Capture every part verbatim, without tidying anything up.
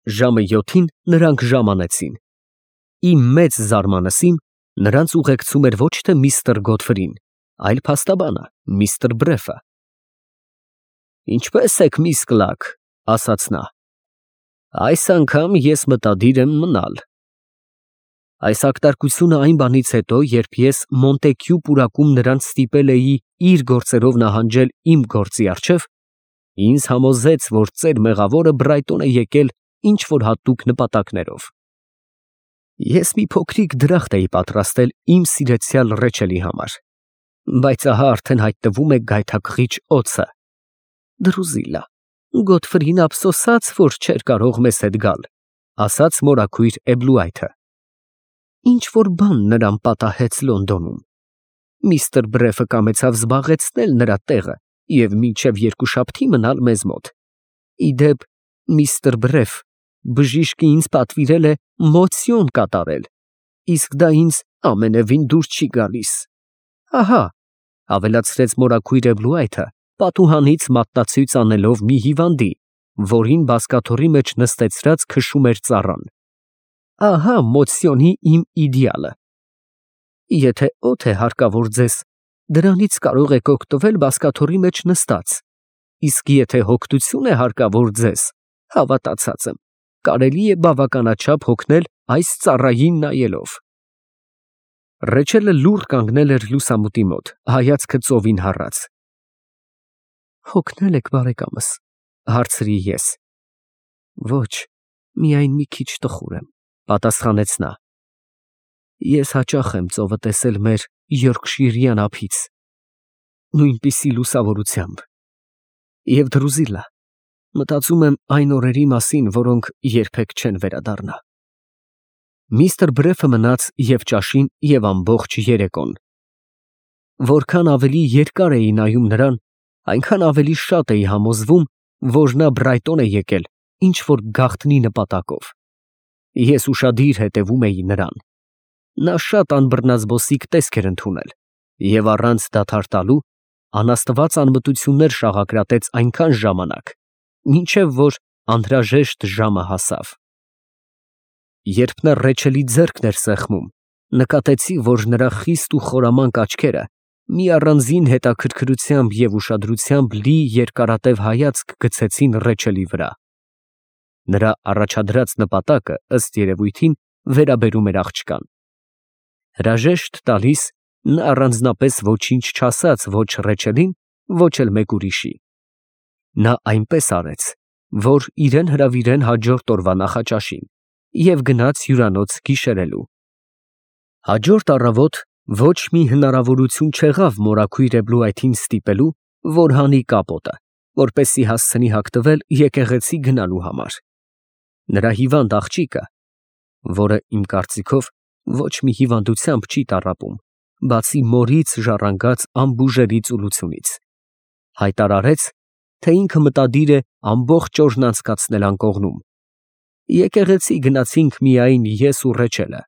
Ժամը յոթին նրանք ժամանեցին։ Իմ մեծ զարմանալին նրանց ուղեկցում էր ոչ թե միստր Գոդֆրին, այլ փաստաբանը, միստր Բրեֆը։ «Ինչպե՞ս եք, միս Կլարկ», ֊ ասաց նա։ «Այս անգամ ես մտադիր եմ մնալ»։ Այս ակտարկությունը այն բանից հետո, երբ ես Մոնտեկյու պուրակում նրանց ստիպել էի իր գործերով նահանջել իմ գործի առջև, ինձ համոզեց, որ ծեր մեղավորը Բրայտոն է եկել ինչ֊որ հատուկ նպատակներով։ Ես մի փոքրիկ դրախտ էի պատրաստել իմ սիրեցյալ Ռեչելի համար, բայց ահա արդեն հայտնվում է գայթակղիչ օձը։ Դրուզիլա, Գոդֆրին ափսոսաց, որ չէր կարող մեզ հետ գալ, ասաց մորաքույր Էբլուայթը։ Ինչ֊որ բան նրան պատահեց Լոնդոնում։ Միստր Բրեֆը կամեցավ զբաղեցնել նրա տեղը և մինչև երկուշաբթի մնալ մեզ մոտ։ Ի դեպ, միստր Բրեֆ բժիշկը ինձ պատվիրել է մոցիոն կատարել, իսկ դա ինձ ամենևին դուր չի գալիս։ Ահա, ավելացրեց մորաքույր Էբլուայթը, պատուհանից մատնացույց անելով մի հիվանդի, որին բազկաթոռի մեջ նստեցրած քշում էր ծառան։ Ահա մոցիոնի իմ իդեալը։ Եթե օդ է հարկավոր ձեզ, դրանից կարող եք օգտվել բազկաթոռի մեջ նստած, իսկ եթե հոգտություն է հարկավոր ձեզ, հավատացած եմ, կարելի է բավականաչափ հոգնել այս ծառային նայելով։ Ռեչելը լուռ կանգնել էր լուսամուտի մոտ, հայացքը ծովին հառած։ Հոգնե՞լ եք, բարեկամս, հարցրի ես։ Ոչ, միայն մի քիչ տխուր եմ, պատասխանեց նա։ Ես հաճախ եմ ծովը տեսել մեր Յորքշիրյան ափից, նույնպիսի լուսավորությամբ։ Եվ Դրուզիլա, մտածում եմ այն օրերի մասին, որոնք երբեք չեն վերադառնա։ Միստր Բրեֆը մնաց և ճաշին, և ամբողջ երեկոն։ Որքան ավելի երկար էի նայում նրան, այնքան ավելի շատ էի համոզվում, որ նա Բրայտոն է եկել ինչ֊որ գաղտնի նպատակով։ Ես ուշադիր հետևում էի նրան։ Նա շատ անբռնազբոսիկ տեսք էր ընդունել և առանց դադար տալու անաստված անմտություններ շաղակրատեց այնքան ժամանակ, մինչև որ անհրաժեշտ ժամը հասավ։ Երբ նա Ռեչելի ձեռքն էր սեղմում, նկատեցի, որ նրա խիստ ու խորամանկ աչքերը մի առանձին հետաքրքրությամբ և ուշադրությամբ լի երկարատև հայացք գցեցին Ռեչելի վրա։ Նրա առաջադրած նպատակը, ըստ երևույթին, վերաբերում էր աղջկան։ Հրաժեշտ տալիս, նա առանձնապես ոչինչ չասաց ոչ Ռեչելին, ոչ էլ մեկ ուրիշի։ Նա այնպես արեց, որ իրեն հրավիրեն հաջորդ օրվա նախաճաշին, և գնաց հյուրանոց գիշերելու։ Հաջորդ առավոտ ոչ մի հնարավորություն չեղավ մորաքույր Էբլուայթին ստիպելու, որ հանի կապոտը, որպեսզի հասցնի հագնվել եկեղեցի գնալու համար։ Նրա հիվանդ աղջիկը, որը, իմ կարծիքով, ոչ մի հիվանդությամբ չի տառապում, բացի մորից ժառանգած անբուժելի ծուլությունից, հայտարարեց, թե ինքը մտադիր է ամբողջ օրն անցկացնել անկողնում։ Եկեղեցի գնացինք միայն ես ու Ռեչելը։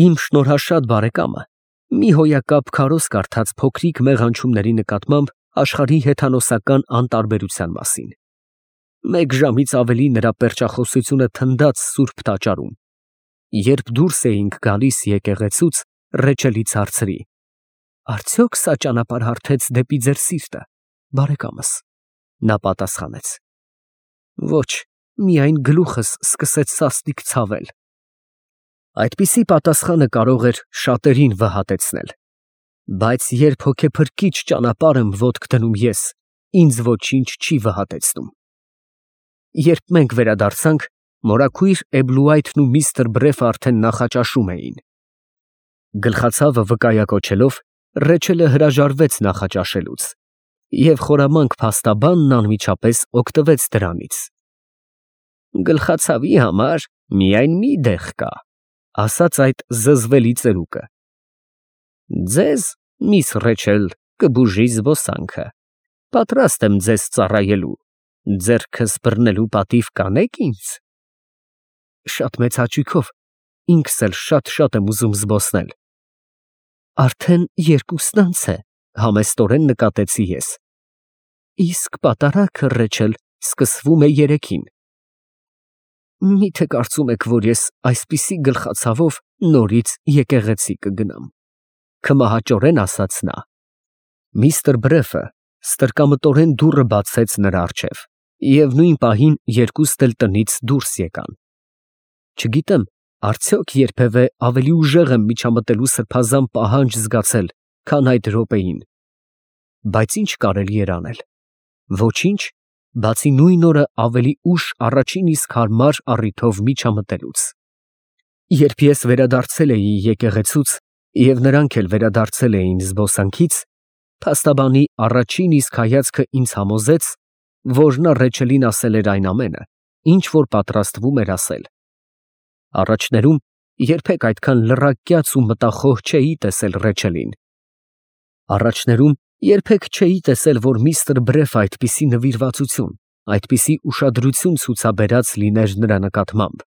Իմ շնորհաշատ բարեկամը մի հոյակապ քարոզ կարդաց փոքրիկ մեղանչումների նկատմամբ աշխարհի հեթանոսական անտարբերության մասին։ Մեկ ժամից ավելի նրա պերճախոսությունը թնդաց սուրբ տաճարում։ Երբ դուրս էինք գալիս եկեղեցուց, Ռեչելից հարցրի. Արդյոք սա ճանապարհ հարթեց դեպի ձեր սիրտը, բարեկամս։ Նա պատասխանեց. Ոչ, միայն գլուխս սկսեց սաստիկ ցավել։ Այդպիսի պատասխանը կարող էր շատերին վհատեցնել, բայց երբ հոգեփրկիչ ճանապարհ եմ ոտք դնում ես, ինձ ոչինչ չի վհատեցնում։ Երբ մենք վերադարձանք, մորաքույր Էբլուայթն ու միստր Բրեֆը արդեն նախաճաշում էին։ Գլխացավը վկայակոչելով, Ռեչելը հրաժարվեց նախաճաշելուց, և խորամանկ փաստաբանն անմիջապես օգտվեց դրանից։ Գլխացավի համար միայն մի դեղ կա, ասաց այդ զզվելի ծերուկը։ Ձեզ, միս Ռեչել, կբուժի զբոսանքը, պատրաստ եմ ձեզ ծառայելու, ձեռքս բռնելու պատիվ կանե՞ք ինձ։ Շատ մեծ հաճույքով, ինքս էլ շատ֊շատ եմ ուզում զբոսնել։ Արդեն երկուսն անց է, համեստորեն նկատեցի ես։ Իսկ պատարագը, Ռեչել, սկսվում է երեքին։ Միթե կարծում եք, որ ես այսպիսի գլխացավով նորից եկեղեցի կգնամ, քմահաճորեն ասաց նա։ Միստր Բրեֆը ստրկամտորեն դուռը բացեց նրա առջև, և նույն պահին երկուստ էլ տնից դուրս եկան։ Չգիտեմ, արդյոք երբևէ ավելի ուժեղ եմ միջամտելու սրբազան պահանջ զգացել, քան այդ րոպեին, բայց ինչ կարելի էր անել։ Ոչինչ, բացի նույն օրը ավելի ուշ առաջին իսկ հարմար առիթով միջամտելուց։ Երբ ես վերադարձել էի եկեղեցուց, և նրանք էլ վերադարձել էին զբոսանքից, փաստաբանի առաջին իսկ հայացքը ինձ համոզեց, որ նա Ռեչելին ասել էր այն ամենը, ինչ որ պատրաստվում էր ասել։ Առաջներում երբեք այդքան լռակյաց ու մտախոհ չէի տեսել Ռեչելին։ Առաջներում երբեք չէի տեսել, որ միստր Բրեֆը այդպիսի նվիրվածություն, այդպիսի ուշադրություն ցուցաբերած լիներ նրա նկատմամբ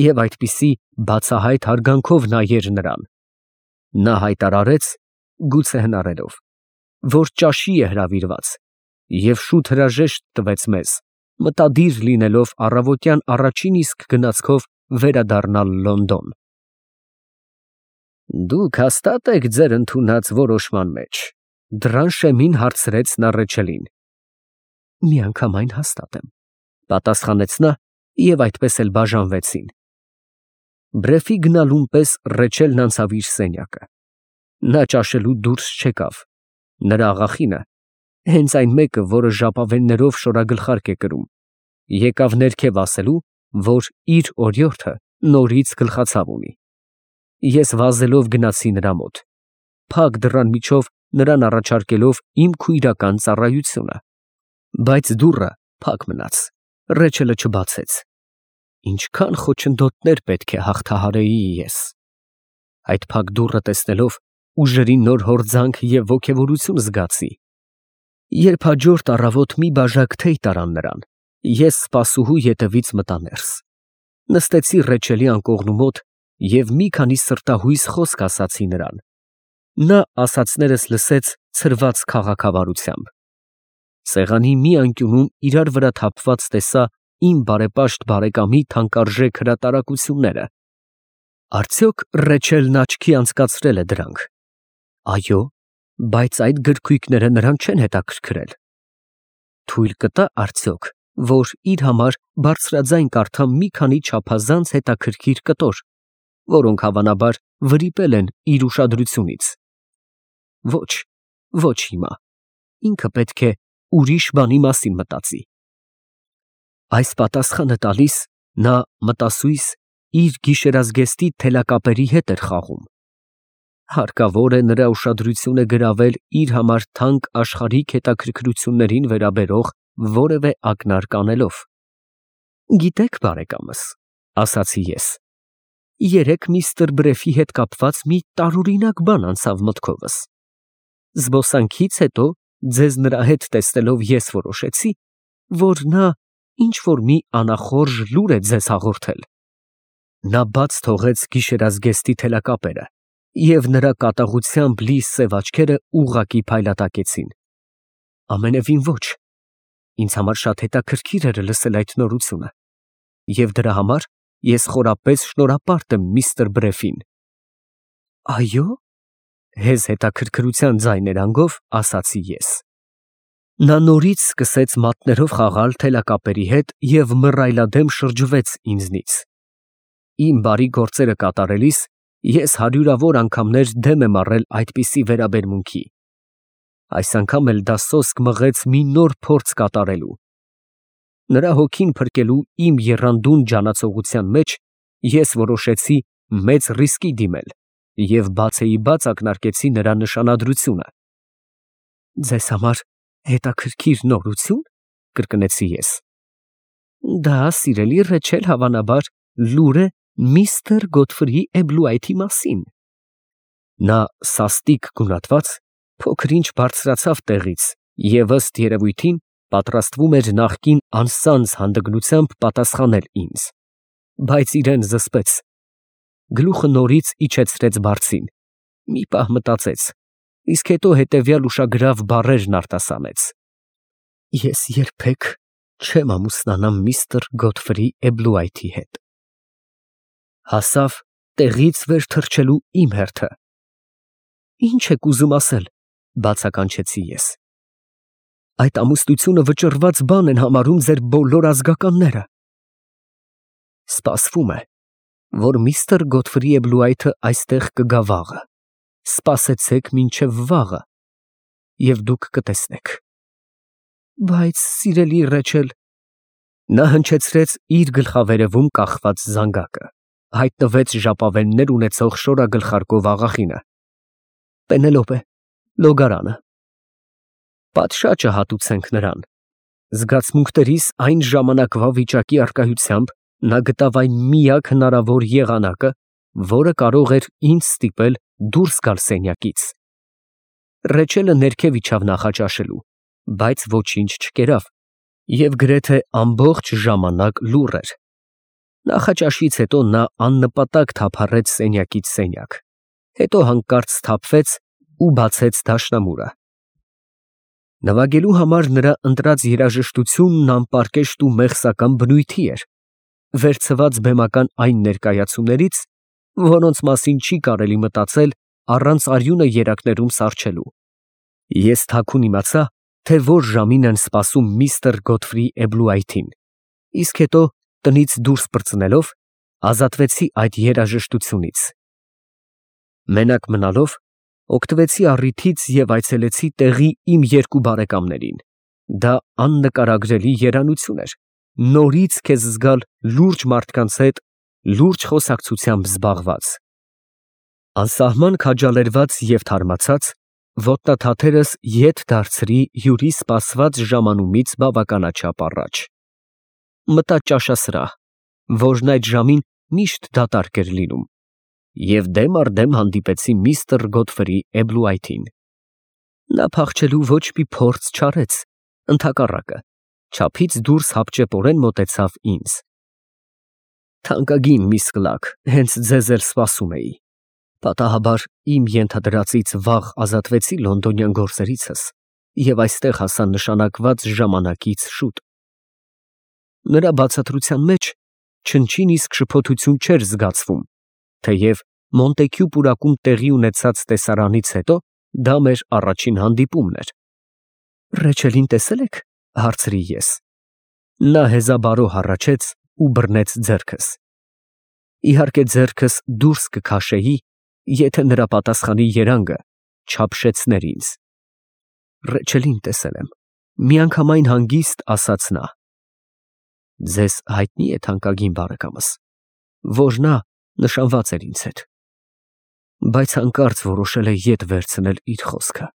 և այդպիսի բացահայտ հարգանքով նայեր նրան։ Նա հայտարարեց, գուցե հնարելով, որ ճաշի է հրավիրված, և շուտ հրաժեշտ տվեց մեզ, մտադիր լինելով առավոտյան առաջին իսկ գնացքով վերադառնալ Լոնդոն։ Դուք հաստատ եք ձեր ընդունած որոշման մեջ, դռան շեմին հարցրեց նա Ռեչելին։ Միանգամայն հաստատ եմ, պատասխանեց նա, և այդպես էլ բաժանվեցին։ Բրեֆի գնալուն պես Ռեչելն անցավ իր սենյակը։ Նա ճաշելու դուրս չեկավ։ Նրա աղախինը, հենց այն մեկը, որը ժապավեններով շորագլխարկ է կրում, եկավ ներքև ասելու, որ իր օրիորդը նորից գլխացավ ունի։ Ես վազելով գնացի նրա մոտ, փակ դռան միջով նրան առաջարկելով իմ քույրական ծառայությունը, բայց դուռը փակ մնաց, Ռեչելը չբացեց։ Ինչքան խոչընդոտներ պետք է հաղթահարեի ես։ Այդ փակ դուռը տեսնելով ուժերի նոր հորձանք և ոգևորություն զգացի։ Երբ հաջորդ առավոտ մի բաժակ թեյ տարան նրան, ես սպասուհու ետևից մտա ներս, նստեցի Ռեչելի անկողնու մոտ և մի քանի սրտահույս խոսք ասացի նրան։ Նա ասածներս լսեց ցրված քաղաքավարությամբ։ Սեղանի մի անկյունում իրար վրա թափված տեսա իմ բարեպաշտ բարեկամի թանկարժեք հրատարակությունները։ Արդյոք Ռեչելն աչքի անցկացրել է դրանք։ Այո, բայց այդ գրքույկները նրան չեն հետաքրքրել։ Թույլ կտա արդյոք, որ իր համար բարձրաձայն կարդամ մի քանի չափազանց հետաքրքիր կտոր, որոնք հավանաբար վրիպել են իր ուշադրությունից։ Ոչ, ոչ հիմա, ինքը պետք է ուրիշ բանի մասին մտածի։ Այս պատասխանը տալիս նա մտասույս իր գիշերազգեստի թելակապերի հետ էր խաղում։ Հարկավոր է նրա ուշադրությունը գրավել իր համար թանկ աշխարհիկ հետաքրքրություններին վերաբերող որևէ ակնարկ անելով։ Գիտեք, բարեկամս, ասացի ես, երեկ միստր Բրեֆի հետ կապված մի տարօրինակ բան անցավ մտքովս։ Զբոսանքից հետո ձեզ նրա հետ տեսնելով ես որոշեցի, որ նա ինչ-որ մի անախորժ լուր է ձեզ հաղորդել։ Նա բաց թողեց գիշերազգեստի թելակապերը, և նրա կատաղությամբ լի սև աչքերը ուղղակի փայլատակեցին։ Ամենևին ոչ, ինձ համար շատ հետաքրքիր էր լսել այդ նորությունը, և դրա համար ես խորապես շնորհապարտ եմ միստր Բրեֆին։ Այո՞, հեզ հետաքրքրության ձայներանգով ասացի ես։ Նա նորից սկսեց մատներով խաղալ թելակապերի հետ և մռայլադեմ շրջվեց ինձնից։ Իմ բարի գործերը կատարելիս ես հարյուրավոր անգամներ դեմ եմ առել այդպիսի վերաբերմունքի։ Այս անգամ էլ դա սոսկ մղեց մի նոր փորձ կատարելու։ Նրա հոգին փրկելու իմ եռանդուն ջանացողության մեջ ես որոշեցի մեծ ռիսկի դիմել և բացեիբաց ակնարկեցի նրա նշանադրությունը։ Ձեզ համար հետաքրքիր նորությո՞ւն, կրկնեցի ես։ Դա, սիրելի Ռեչել, հավանաբար լուր է միստր Գոթֆրի Էբլուայթի մասին։ Նա սաստիկ գունատված փոքր-ինչ բարձրացավ տեղից և ըստ երևույթին պատրաստվում էր նախկին անսանձ հանդգնությամբ պատասխանել ինձ, բայց իրան զսպեց, գլուխը նորից իջեցրեց բարձին, մի պահ մտածեց, իսկ հետո հետևյալ ուշագրավ բառերն արտասանեց. Ես երբեք չեմ ամուսնանամ միստր Գոթֆրի Էբլուայթի հետ։ Հասավ տեղից վեր թռչելու իմ հերթը։ Ինչ եք ուզում ասել, բացականչեցի ես։ Այդ ամուսնությունը վճռված բան են համարում ձեր բոլոր ազգականները։ Սպասվում է, որ միստր Գոթֆրի Էբլուայթը այստեղ կգա վաղը։ Սպասեցեք մինչև վաղը, և դուք կտեսնեք։ Բայց, սիրելի Ռեչել, նա հնչեցրեց իր գլխավերևում կախված զանգակը, հայտնվեց ժապավեններ ունեցող շորագլխարկով աղախինը։ Պենելոպե, լոգարանը։ Պատշաճը հատուցենք նրան։ Զգացմունքներիս այն ժամանակվա վիճակի առկայությամբ նա գտավ այն միակ հնարավոր եղանակը, որը կարող էր ինձ ստիպել դուրս գալ սենյակից։ Ռեչելը ներքև իջավ նախաճաշելու, բայց ոչինչ չկերավ և գրեթե ամբողջ ժամանակ լուռ էր։ Նախաճաշից հետո նա աննպատակ թափառեց սենյակից սենյակ, հետո հանկարծ սթափվեց ու բացեց դաշնամուրը։ Նվագելու համար նրա ընտրած երաժշտությունն անպարկեշտ ու մեղսական բնույթի էր, վերցված բեմական այն ներկայացումներից, որոնց մասին չի կարելի մտածել առանց արյունը երակներում սառչելու։ Ես թաքուն իմացա, թե որ ժամին են սպասում միստր Գոթֆրի Էբլուայթին, իսկ հետո տնից դուրս պրծնելով ազատվեցի այդ երաժշտությունից։ Մենակ մնալով օգտվեցի առիթից և այցելեցի տեղի իմ երկու բարեկամներին։ Դա աննկարագրելի երանություն էր, նորից քեզ զգալ լուրջ մարդկանց հետ լուրջ խոսակցությամբ զբաղված։ Անսահման քաջալերված և թարմացած, ոտնաթաթերս ետ դարձրի հյուրի սպասված ժամանումից բավականաչափ առաջ։ Մտա ճաշասրահ, որն այդ ժամին միշտ դատարկ էր լինում, և դեմ առ դեմ հանդիպեցի միստր Գոթֆրի Էբլուայթին։ Նա փախչելու ոչ մի փորձ չարեց, ընդհակառակը, չափից դուրս հապճեպորեն մոտեցավ ինձ։ Թանկագին միս Կլարկ, հենց ձեզ էլ սպասում էի։ Պատահաբար իմ ենթադրածից վաղ ազատվեցի լոնդոնյան գործերիցս և այստեղ հասա նշանակված ժամանակից շուտ։ Նրա բացատրության մեջ չնչին իսկ շփոթություն չէր զգացվում, թեև Մոնտեքյու պուրակում տեղի ունեցած տեսարանից հետո դա մեր առաջին հանդիպումն էր։ Ռեչելին տեսե՞լ եք, հարցրի ես։ Նա հեզաբարո հառաչեց ու բռնեց ձեռքս։ Իհարկե ձեռքս դուրս կքաշեի, եթե նրա պատասխանի երանգը չափշեցներ ինձ։ Ռեչելին տեսել եմ, միանգամայն հանգիստ ասաց նա։ Ձեզ հայտնի է թանկագին բարեկամս, որ նա նշանված էր ինձ հետ, բայց հանկարծ որոշել է ետ վերցնել իր խոսքը։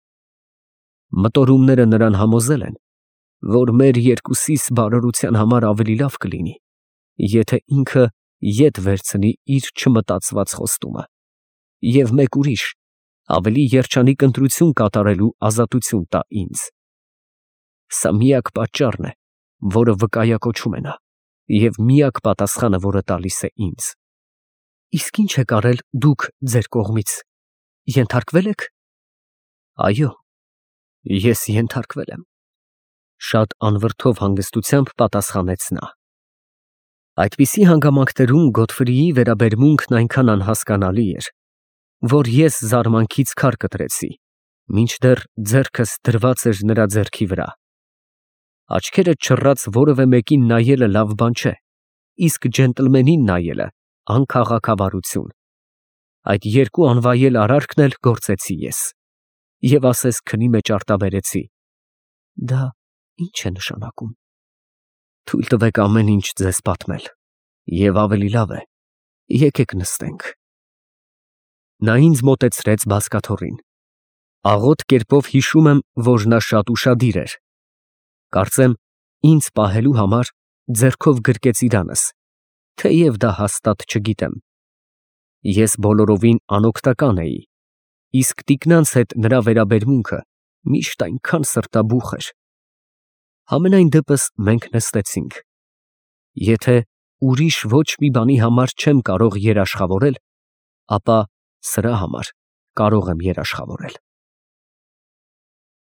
Մտորումները նրան համոզել են, որ մեր երկուսիս բարօրության համար ավելի լավ կլինի, եթե ինքը ետ վերցնի իր չմտածված խոստումը և մեկ ուրիշ, ավելի երջանիկ ընտրություն կատարելու ազատություն տա ինձ։ Սա միակ պատճառն է, որը վկայակոչում է նա, և միակ պատասխանը, որը տալիս է ինձ։ Իսկ ի՞նչ եք արել դուք ձեր կողմից, ենթարկվե՞լ եք։ Այո, ես ենթարկվել եմ, շատ անվրդով հանգստությամբ պատասխանեց նա։ Այդպիսի հանգամանքներում Գոթֆրիի վերաբերմունքն այնքան անհասկանալի էր, որ ես զարմանքից քար կտրեցի, մինչդեռ ձեռքս դրված էր նրա ձեռքի վրա։ Աչքերդ չռած որևէ մեկին նայելը լավ բան չէ, իսկ ջենտլմենին նայելը անքաղաքավարություն։ Այդ երկու անվայել արարքն էլ գործեցի ես, և ասես քնի մեջ արտաբերեցի. դա ի՞նչ է նշանակում։ Թույլ տվեք ամեն ինչ ձեզ պատմել, և ավելի լավ է, եկեք նստենք։ Նա ինձ մոտեցրեց բազկաթոռին։ Աղոտ կերպով հիշում եմ, որ նա շատ ուշադիր էր։ Կարծեմ, ինձ պահելու համար ձեռքով գրկեց իրանս, թեև դա հաստատ չգիտեմ։ Ես բոլորովին անօգնական էի, իսկ տիկնանց հետ նրա վերաբերմունքը միշտ այնքան սրտաբուխ էր։ Համենայն դեպս մենք նստեցինք։ Եթե ուրիշ ոչ մի բանի համար չեմ կարող երաշխավորել, ապա սրա համար կարող եմ երաշխավորել։